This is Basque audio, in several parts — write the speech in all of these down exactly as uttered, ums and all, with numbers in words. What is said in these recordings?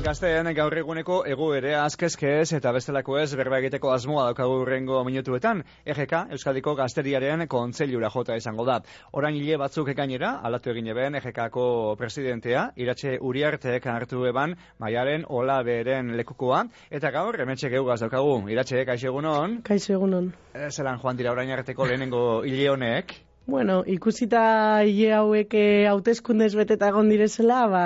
Gazteen gaur eguneko egoera azkezkez eta bestelako ez berba egiteko asmoa daukagu hurrengo minutuetan. E G K, Euskadiko Gazteriaren kontseilura jota izango da. Orain hile batzuk gainera, alatu egin eben E G K-ko presidentea, Iratxe Uriartek hartu eban Maialen Olaberen lekukoa, eta gaur hementxe geugaz daukagu. Iratxe, kaixo egunon? Kaixo egunon. E, zelan joan dira orain arteko lehenengo hile honek? Bueno, ikusita hile hauek hauteskundez beteta egon direzela, ba...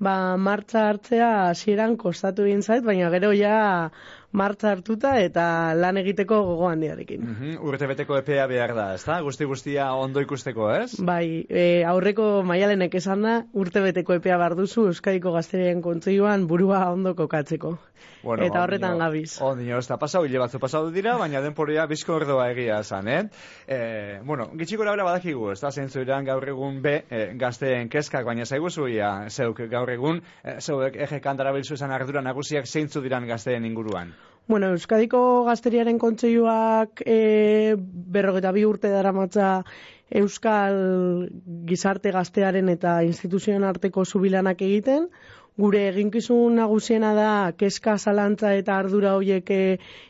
Ba, martxa hartzea hasieran kostatu egin zait, baina gero ja martxa hartuta eta lan egiteko gogo handiarekin. Mm-hmm. Urtebeteko epea behar da, ezta? Guzti guztia ondo ikusteko, ez? Bai, e, aurreko Maialenek esan da, urtebeteko epea behar duzu Euskadiko Gazteriaren Kontseiluan burua ondo kokatzeko. Bueno, eta horretan ondino, gabiz. Ondino, ez da pasau, hile batzu pasau dira, baina denporia bizko ordoa egia esan, eh? E, bueno, gitxiko labera badakigu, ez da, zeintzu iran gaur egun be, e, gazteen kezkak, baina zaiguzu ia, zeuk gaur egun, e, zeuek E G K darabilzu esan ardura nagusiak zeintzu diran gazteen inguruan? Bueno, Euskadiko Gazteriaren Kontseiluak e, berrogeta bi urte daramatza Euskal gizarte gaztearen eta instituzioen arteko zubilanak egiten. Gure eginkizun nagusiena da kezka, zalantza eta ardura horiek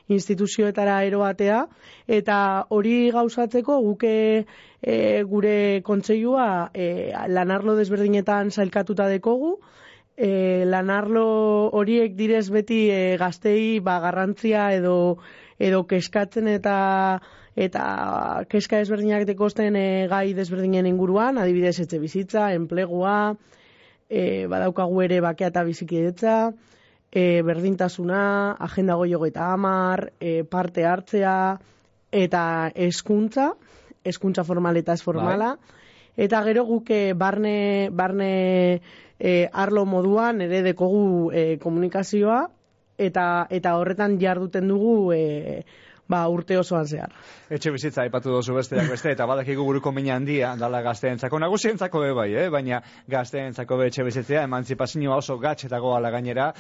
instituzioetara eroatea, eta hori gauzatzeko guke e, gure kontseilua e, lanarlo desberdinetan sailkatuta dekogu. E, lanarlo horiek direz beti e, gaztei ba, garrantzia edo, edo keskatzen eta eta keska desberdinak dekosten e, gai desberdinen inguruan, adibidez etxe bizitza, enplegua, E, badaukagu ere bakea eta bizikidetza, e, berdintasuna, agenda goi hogeita hamar, e, parte hartzea eta hezkuntza, hezkuntza formal eta ez formala. Bai. Eta gero guke barne, barne e, arlo moduan ere dekogu e, komunikazioa eta, eta horretan jarduten dugu e, ba, urte osoan zehar. Etxe bizitza aipatu dozu besteak beste, eta badakigu buruko mina handia, dala gazteentzako, nagusientzako be bai, eh? Baina gazteentzako be etxe bizitzea, emantzipazioa oso gatxetako ala gainera,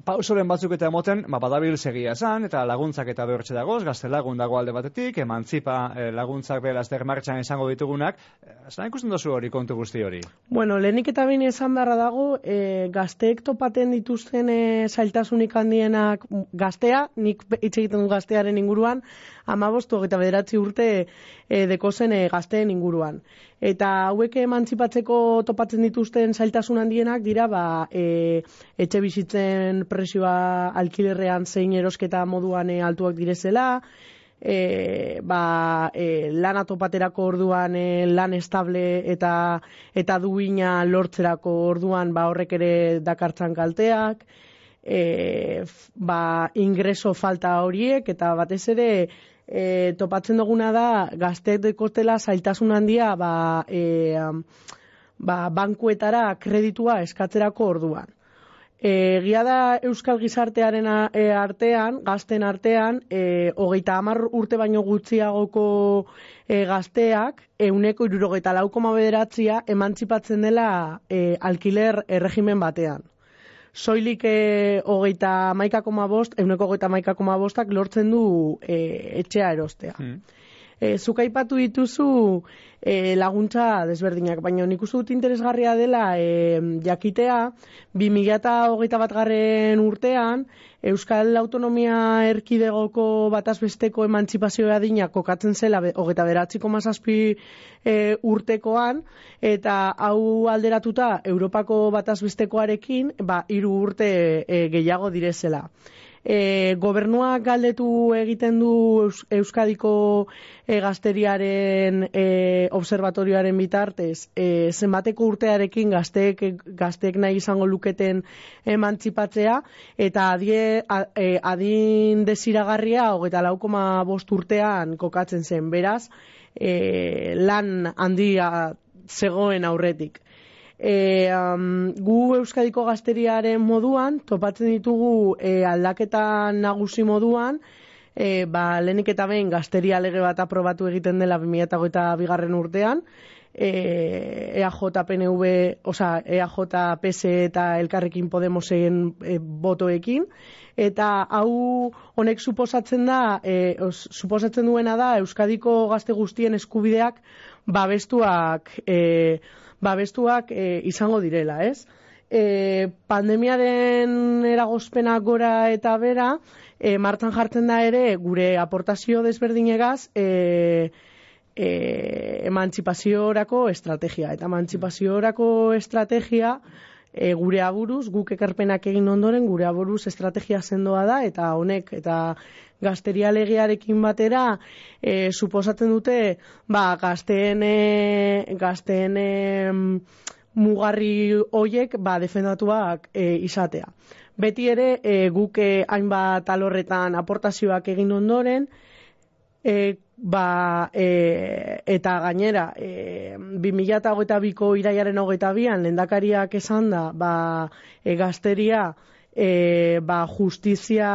pausoren batzuk eta emoten, ba, badabil segia esan, eta laguntzak eta behortxe dagoz, gazte lagun dago alde batetik, emantzipa eh, laguntzak belazter martxan izango ditugunak, zan ikusten dozu hori kontu guzti hori? Bueno, lehenik eta bine esan beharra dago, e, gazteek topaten dituzten e, zailtasunik handienak gaztea, nik hitz egiten du gaztearen inguruan, amabostu eta bederatzi urte e, dekozen e, gazteen inguruan. Eta hauek emantzipatzeko topatzen dituzten zailtasun handienak dira, ba, e, etxe bizitzen presioa alkilerrean zein erosketa moduan e, altuak direzela, e, ba, e, lana topaterako orduan e, lan estable eta eta duina lortzerako orduan ba, horrek ere dakartzan kalteak, e, ba, ingreso falta horiek eta batez ere E, topatzen duguna da gazteek dekotela zailtasun handia ba, e, ba, bankuetara kreditua eskatzerako orduan. Egia da Euskal gizartearen artean, gazten artean, e, hogeita hamar urte baino gutxiagoko e, gazteak, ehuneko hirurogeita lau koma bederatzia emantzipatzen dela e, alkiler erregimen batean. Soilik e, hogeita hamaika koma bost, ehuneko hogeita hamaika koma bostak lortzen du e, etxea erostea. Mm. E, zuk aipatu dituzu e, laguntza desberdinak, baina nik uste dut interesgarria dela e, jakitea, bi mila hogeita bat garren urtean, Euskal Autonomia Erkidegoko batazbesteko emantzipazioa adina kokatzen zela hogeita bederatzi koma zazpi e, urtekoan, eta hau alderatuta Europako batazbestekoarekin, ba, hiru urte e, gehiago direzela. E, gobernuak galdetu egiten du Eus, Euskadiko e, gazteriaren e, observatorioaren bitartez e, zenbateko urtearekin gazteek, gazteek nahi izango luketen emantzipatzea, eta adie, a, e, adin desiragarria hogeita lau koma bost urtean kokatzen zen, beraz e, lan handia zegoen aurretik. E, um, gu Euskadiko gazteriaren moduan topatzen ditugu e, aldaketa nagusi moduan, e, ba, lehenik eta behin gazteria lege bat aprobatu egiten dela bi mila hogeita bigarren urtean, e, E A J, P N V, oza, E A J, P S eta Elkarrekin Podemosen e, botoekin, eta hau honek suposatzen da, e, os, suposatzen duena da Euskadiko gazte guztien eskubideak babestuak e, babestuak e, izango direla, ez? e, pandemiaren eragozpena gora eta bera, e, martxan jartzen da ere gure aportazio desberdinegaz e, e, emantzipaziorako estrategia. Eta emantzipaziorako estrategia e, gure aburuz, guk ekarpenak egin ondoren, gure aburuz estrategia sendoa da, eta honek, eta gazteria legearekin batera, e, suposatzen dute, ba, gazteen, e, gazteen e, mugarri hoiek, ba, defendatuak e, izatea. Beti ere, e, guk e, hainbat alorretan aportazioak egin ondoren, e, ba, e, eta gainera, e, bi mila hogeita biko irailaren hogeita bian, lehendakariak esan da, ba, e, gazteria, E, ba, justizia,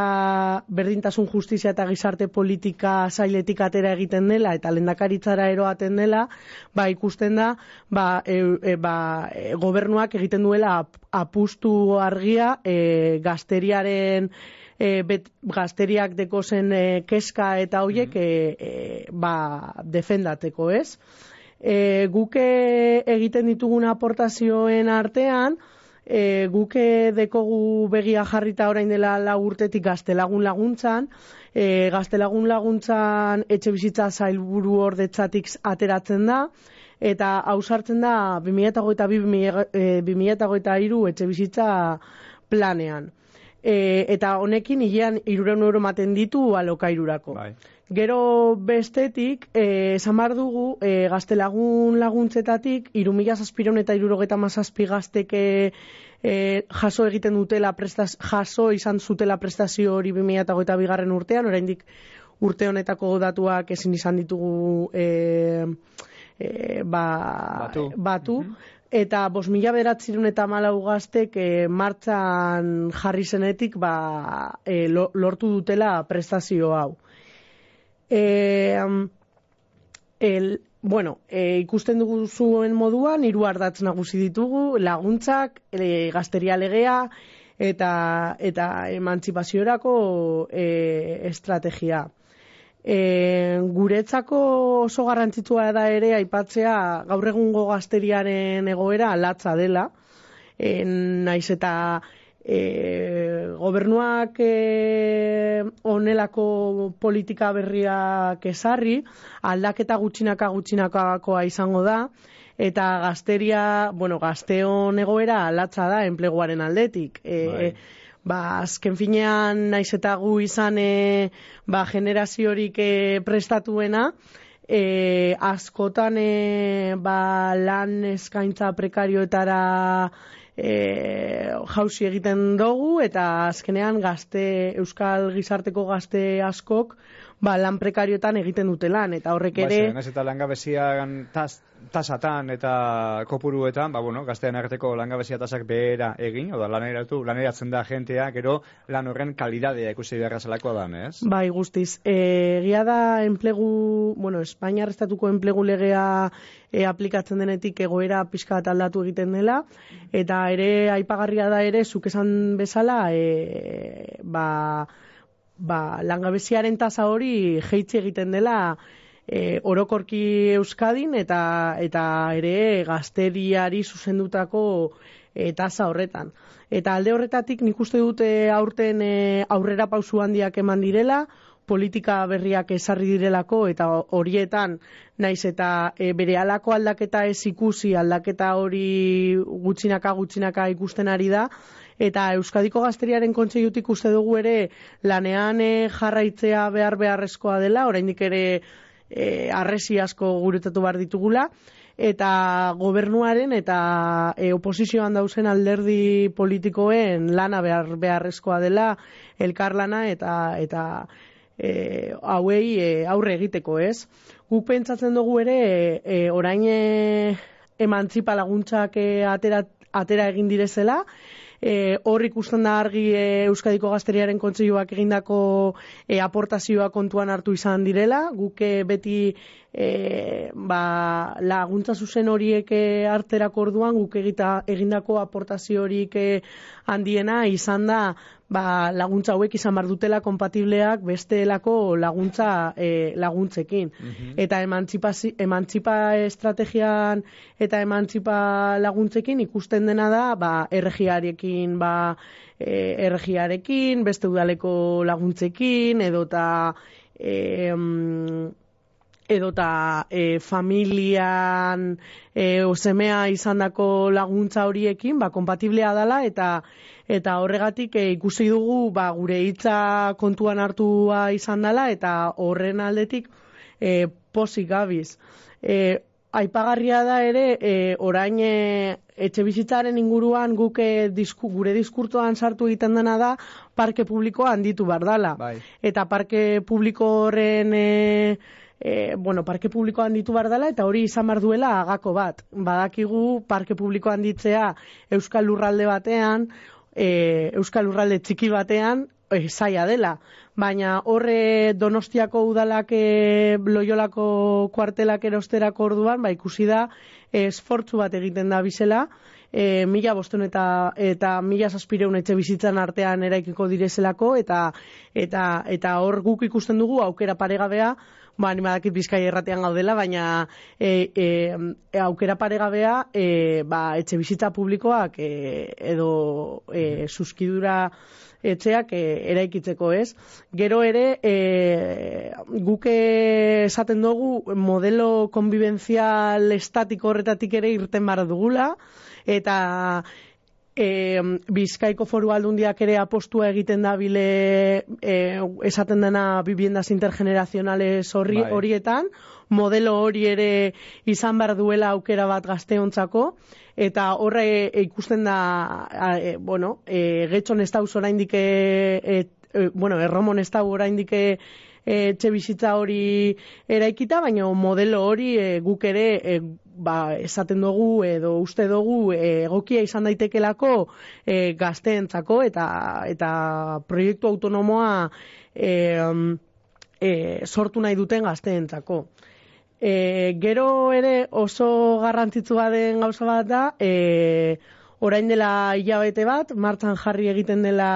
berdintasun justizia eta gizarte politika sailetik atera egiten dela eta lehendakaritzara eroaten dela, ba, ikusten da, ba, e, e, ba, e, gobernuak egiten duela ap, apustu argia e, gazteriaren e, bet, gazteriak dekozen e, keska eta hoiek e, e, ba, defendateko, ez? E, guke egiten ditugun aportazioen artean, E, guke dekogu begia jarrita orain dela lau urtetik gaztelagun laguntzan, e, gaztelagun laguntzan etxe bizitza sailburu ordetzatik ateratzen da, eta hausartzen da bi mila hogeita bi bi mila hogeita hiru etxe bizitza planean. E, eta honekin hilean hirurehun euro ematen ditu alokairurako. Bai. Gero bestetik, eh, esan behar dugu, eh, gaztelagun laguntzetatik, hiru mila zazpiehun eta hirurogeita hamazazpi gazteke eh, jaso egiten dutela, prestaz, jaso izan zutela prestazio hori bi mila hogeita bigarren urtean, oraindik urte honetako datuak ezin izan ditugu eh, eh, ba, batu. batu. Mm-hmm. Eta bost mila bederatziehun eta hamalau gaztek e, martxan jarri zenetik ba, e, lortu dutela prestazio hau. E, el, bueno, e, ikusten dugu zuen moduan, hiru ardatz nagusi ditugu, laguntzak, e, gazteria legea eta, eta emantzipaziorako e, estrategia. E, guretzako oso garrantzitsua da ere aipatzea gaur egungo gazteriaren egoera latza dela, e, naiz eta e, gobernuak e, onelako politika berriak ezarri, aldaketa gutxinaka gutxinakakoa izango da, eta gazteria, bueno, gazteon egoera latza da enpleguaren aldetik. E, Ba, azken finean, naiz eta gu izan e, ba, generaziorik e, prestatuena, e, askotan e, ba, lan eskaintza prekarioetara e, jauzi egiten dugu, eta azkenean gazte, euskal gizarteko gazte askok ba, lan prekarioetan egiten dute lan, eta horrek ere... Ba, ez eta langabezian tas, tasatan eta kopuruetan, ba, bueno, gaztean arteko langabezia tasak behera egin, oda laneratu, laneratzen da jentea, gero lan horren kalidadea ikusi beharra zelakoa da, ez? Bai, guztiz. Egia da enplegu, bueno, Espainiar estatuko enplegu legea e, aplikatzen denetik egoera pixka bat aldatu egiten dela, eta ere aipagarria da ere, zuk esan bezala, e, ba... ba, langabeziaren tasa hori jeitzi egiten dela e, orokorki Euskadin eta eta ere gazteriari zuzendutako e, tasa horretan. Eta alde horretatik nik uste dute aurten e, aurrera pausu handiak eman direla, politika berriak ezarri direlako eta horietan naiz eta e, bere halako aldaketa ez ikusi, aldaketa hori gutxinaka gutxinaka ikusten ari da, eta Euskadiko Gazteriaren Kontseilutik uste dugu ere lanean e, jarraitzea behar beharrezkoa dela, oraindik ere e, harresi asko guretatu behar ditugula, eta gobernuaren eta e, oposizioan dauzen alderdi politikoen lana behar beharrezkoa dela, elkarlana eta eta e, hauei e, aurre egiteko, ez? Guk pentsatzen dugu ere e, orain e, emantzipa laguntzak e, atera, atera egin direzela, e, hor ikusten da argi e, Euskadiko Gazteriaren Kontseiluak egindako e, aportazioa kontuan hartu izan direla, guk e, beti e, ba, laguntza zuzen horiek e, harterako orduan guk egita, egindako aportazio horiek e, handiena izan da ba, laguntza hauek izan bar dutela kompatibleak bestelako laguntza e, laguntzekin. Mm-hmm. Eta emantzipa estrategian eta emantzipa laguntzekin ikusten dena da ba, erregiarekin, ba, e, erregiarekin, beste udaleko laguntzekin, edota e, edota e, familian e, osemea izandako laguntza horiekin, ba, kompatiblea dela, eta eta horregatik e, ikusi dugu ba, gure hitza kontuan hartua izan dela, eta horren aldetik e, pozik gabiz. E, aipagarria da ere, e, orain e, etxe bizitzaren inguruan guk e, disku, gure diskurtoan sartu egiten dena da parke publikoa handitu behar dela. Bai. Eta parke publiko horren... E, E, bueno, parke publikoa handitu behar dela, eta hori izan behar duela agako bat. Badakigu parke publikoa handitzea Euskal Lurralde batean, e, Euskal Lurralde txiki batean, e, zaila dela. Baina horre Donostiako udalak e, Loiolako kuartelak erosterako orduan, ba, ikusi da e, esfortzu bat egiten da bizela, e, mila bostehun eta, eta mila zazpireun etxe bizitzan artean eraikiko direzelako, eta, eta, eta hor guk ikusten dugu aukera paregabea, ba, ni badakit Bizkaia erratean gaudela, baina e, e, e, aukera paregabea e, ba, etxe bizitza publikoak e, edo e, suskidura etxeak e, eraikitzeko, ez? Gero ere, e, guk esaten dugu modelo konbibenzial estatiko horretatik ere irten bar dugula, eta E, Bizkaiko Foru Aldundiak ere apostua egiten da bile e, esaten dena viviendas intergenerazionales horri, bai. Horietan, modelo hori ere izan behar duela aukera bat gazteontzako, eta horre e, ikusten da, a, e, bueno, e, getxon ez dauz oraindik, e, e, bueno, erromon ez dauz oraindik etxe bizitza hori eraikita, baina modelo hori e, guk ere e, ba, esaten dugu edo uste dugu e, egokia izan daitekelako e, gazteentzako, eta eta proiektu autonomoa e, e, sortu nahi duten gazteentzako. E, gero ere oso garrantzitsua den gauza bat da, e, orain dela hilabete bat, martxan jarri egiten dela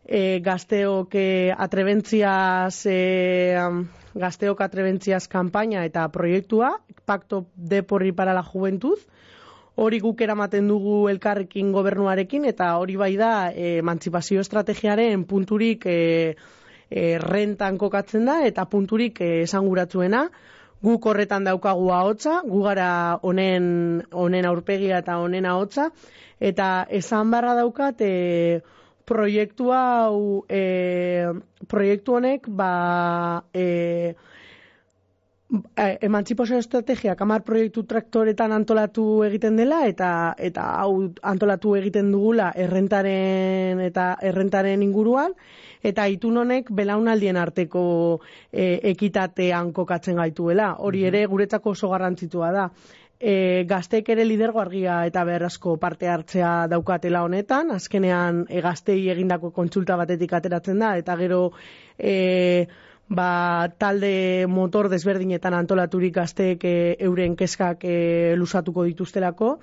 E, gazteok e, atrebentziaz e, gazteok atrebentziaz kanpaina eta proiektua, Pacto de Porri para la Juventud, hori guk eramaten dugu elkarrekin gobernuarekin, eta hori bai da e, emantzipazio estrategiaren punturik e, e, rentan kokatzen da, eta punturik e, esanguratzuena, guk horretan daukagu ahotsa, gu gara honen honen aurpegia eta honen ahotsa, eta esan barra daukat e, proiektu hau e, proiektu honek ba e, emantzipazio estrategiak hamar proiektu traktoretan antolatu egiten dela, eta eta hau antolatu egiten dugula errentaren eta errentaren inguruan, eta itun honek belaunaldien arteko e, ekitatean kokatzen gaituela. Hori ere guretzako oso garrantzitsua da. E, gazteek ere lidergo argia eta beharrezko parte hartzea daukatela honetan, azkenean e, gaztei egindako kontsulta batetik ateratzen da, eta gero e, ba, talde motor desberdinetan antolaturik gazteek e, euren kezkak e, lusatuko dituztelako,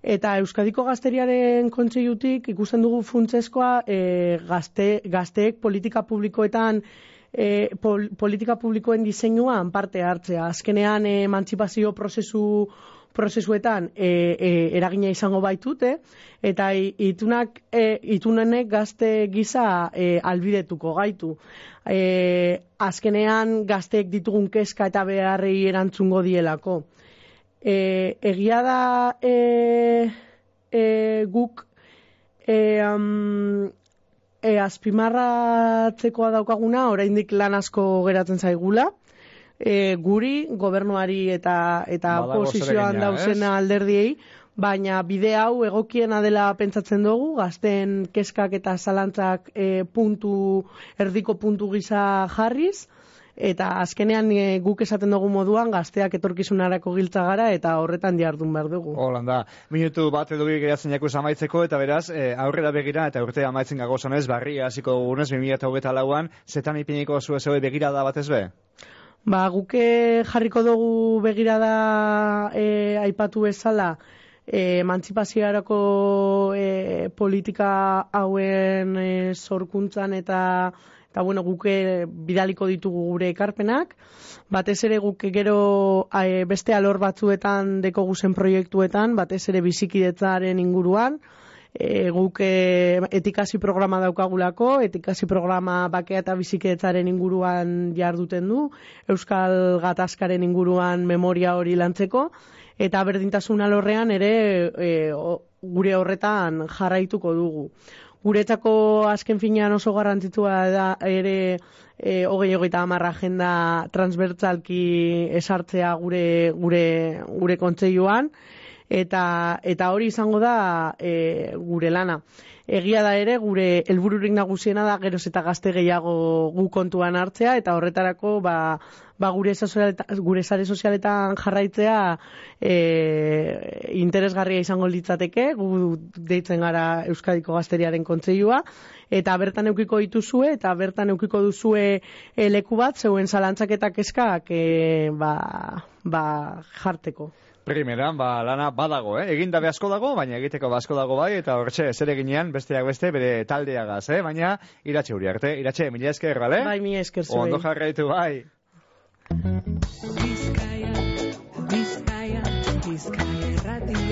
eta Euskadiko Gazteriaren Kontseilutik ikusten dugu funtsezkoa e, gazte, gazteek politika publikoetan E, pol, politika publikoen diseinuan parte hartzea. Azkenean e, emantzipazio prozesu prozesuetan e, e, eragina izango baitute, eta itunak e, itunenek gazte gisa e, albidetuko gaitu. E, azkenean gazteek ditugun kezka eta beharrei erantzungo dielako. E, egia da e, e, guk e, um, E, azpimarratzekoa daukaguna, oraindik lan asko geratzen zaigula, e, guri, gobernuari eta eta oposizioan dauzena alderdiei, baina bide hau egokiena dela pentsatzen dugu, gazten kezkak eta zalantzak e, puntu, erdiko puntu gisa jarriz, eta azkenean e, guk esaten dugu moduan gazteak etorkizunarako giltza gara eta horretan jardun behar dugu. Holanda, minutu bat edo bi geratzen jakuz amaitzeko eta beraz, e, aurrera begira eta urtea amaitzen gagozanez, barria hasiko dugunez, bi mila hogeita lauan, zetan ipiniko zu ez begirada batez be? Ba, guke jarriko dugu begirada e, aipatu bezala, e, emantzipazioarako e, politika hauen e, sorkuntzan eta eta bueno, guke bidaliko ditugu gure ekarpenak. Batez ere guke gero e, beste alor batzuetan deko guzen proiektuetan, batez ere bizikidetzaren inguruan, E, guk e, etikasi programa daukagulako, etikasi programa bakea eta bizikidetzaren inguruan jarduten du, Euskal Gatazkaren inguruan memoria hori lantzeko, eta berdintasun alorrean ere e, o, gure horretan jarraituko dugu. Guretzako azken finean oso garrantzitsua da ere e, hogei hogeita hamar agenda transbertsalki esartzea gure, gure, gure kontseiluan, Eta, eta hori izango da e, gure lana. Egia da ere, gure helbururik nagusiena da geroz eta gazte gehiago gu kontuan hartzea, eta horretarako ba, ba gure, gure sare sozialetan jarraitzea e, interesgarria izango litzateke, gu deitzen gara Euskadiko Gazteriaren Kontseilua, eta bertan eukiko dituzue, eta bertan eukiko duzue e, leku bat, zeuen zalantzaketak eskak e, ba, ba jarteko. Primeran, ba, lana badago, eh? Egin dabe asko dago, baina egiteko asko dago bai, eta horretxe, zer eginean, besteak beste, bere taldeagaz, eh? Baina, iratxe huri arte. Iratxe, mila esker, bale? Bai, mila esker zuei. Ondo jarraitu, bai. Bizkaia, Bizkaia, Bizkaia erratia.